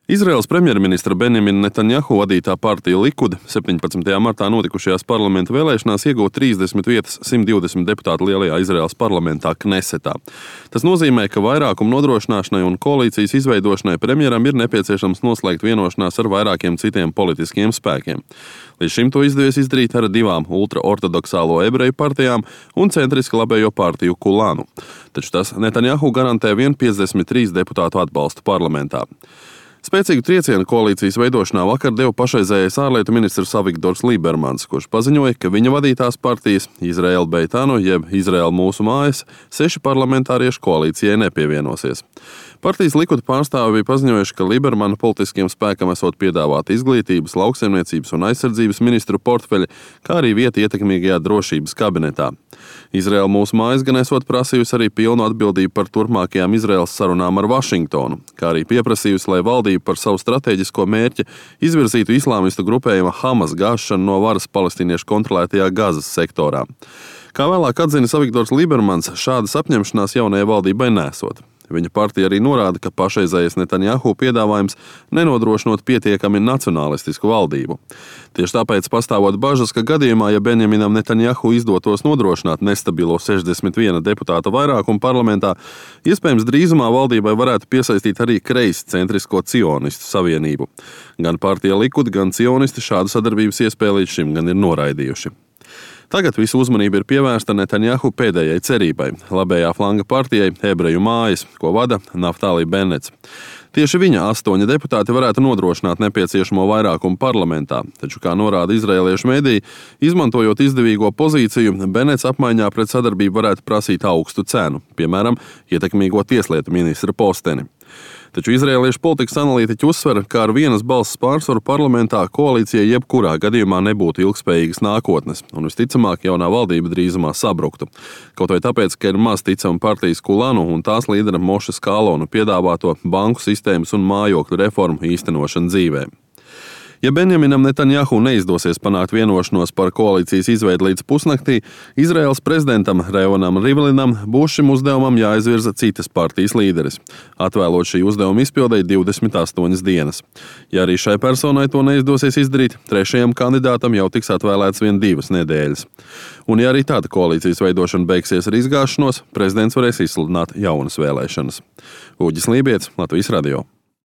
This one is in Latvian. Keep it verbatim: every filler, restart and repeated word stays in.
Izraēlas premjerministra Benjamina Netanjahu vadītā partija Likud septiņpadsmitajā martā notikušajās parlamenta vēlēšanās ieguva trīsdesmit vietas simt divdesmit deputātu lielajā Izraēlas parlamentā Knesetā. Tas nozīmē, ka vairākumu nodrošināšanai un koalīcijas izveidošanai premjeram ir nepieciešams noslēgt vienošanās ar vairākiem citiem politiskiem spēkiem. Līdz šim to izdevies izdarīt ar divām ultraortodoksālo ebreju partijām un centriski labējo partiju Kulānu. Taču tas Netanjahu garantē vien piecdesmit trīs deputātu atbalstu parlamentā. Spēcīgu triecienu koalīcijas veidošanā vakar deva pašreizējais ārlietu ministrs Avigdors Lībermans, kurš paziņoja, ka viņa vadītās partijas Izraēla Beitānu jeb Izraēla mūsu mājas seši parlamentārieši koalīcijai nepievienosies. Partijas Likud pārstāvi bija paziņojuši, ka Lībermana politiskiem spēkam esot piedāvāta izglītības, lauksaimniecības un aizsardzības ministru portfeļi, kā arī vieta ietekmīgajā drošības kabinetā. Izraēla mūsu mājas gan esot prasījusi arī pilnu atbildību par turpmākajām Izraēlas sarunām ar Vašingtonu, kā arī pieprasījusi, lai valdība par savu stratēģisko mērķi izvirzītu islāmistu grupējuma Hamas gāšanu no varas palestīniešu kontrolētajā Gazas sektorā. Kā vēlāk atzinis Avigdors Lībermans, šādas apņemšanās jaunajai valdībai nesot. Viņa partija arī norāda, ka pašreizējais Netanjahu piedāvājums nenodrošinot pietiekami nacionālistisku valdību. Tieši tāpēc pastāvot bažas, ka gadījumā, ja Benjaminam Netanjahu izdotos nodrošināt nestabilo sešdesmit viena deputāta vairākumu parlamentā, iespējams drīzumā valdībai varētu piesaistīt arī kreisi centrisko cionistu savienību. Gan partija Likud, gan cionisti šādu sadarbības iespēju līdz šim gan ir noraidījuši. Tagad visu uzmanību ir pievērsta Netanjahu pēdējai cerībai – labējā flanga partijai Ebreju mājas, ko vada Naftali Bennets. Tieši viņa astoņi deputāti varētu nodrošināt nepieciešamo vairākumu parlamentā, taču, kā norāda izraēliešu mediji, izmantojot izdevīgo pozīciju, Bennets apmaiņā pret sadarbību varētu prasīt augstu cenu, piemēram, ietekmīgo tieslietu ministra posteni. Taču izraēliešu politikas analītiķi uzsver, ka ar vienas balss pārsvaru parlamentā koalīcijai jebkurā gadījumā nebūtu ilgspējīgas nākotnes, un visticamāk jaunā valdība drīzumā sabruktu. Kaut vai tāpēc, ka ir maz ticama partijas Kulānu un tās līdera Moša Skalonu piedāvāto banku sistēmas un mājokļu reformu īstenošanu dzīvē. Ja Benjaminam Netanjahu neizdosies panākt vienošanos par koalīcijas izveidi līdz pusnaktī, Izraēlas prezidentam Revanam Rivlinam būs šim uzdevumam jāizvirza citas partijas līderis, atvēlot šī uzdevuma izpildei divdesmit astoņas dienas. Ja arī šai personai to neizdosies izdarīt, trešajam kandidātam jau tiks atvēlēts vien divas nedēļas. Un ja arī tāda koalīcijas veidošana beigsies ar izgāšanos, prezidents varēs izsludināt jaunas vēlēšanas. Uģis Lībietis, Latvijas radio.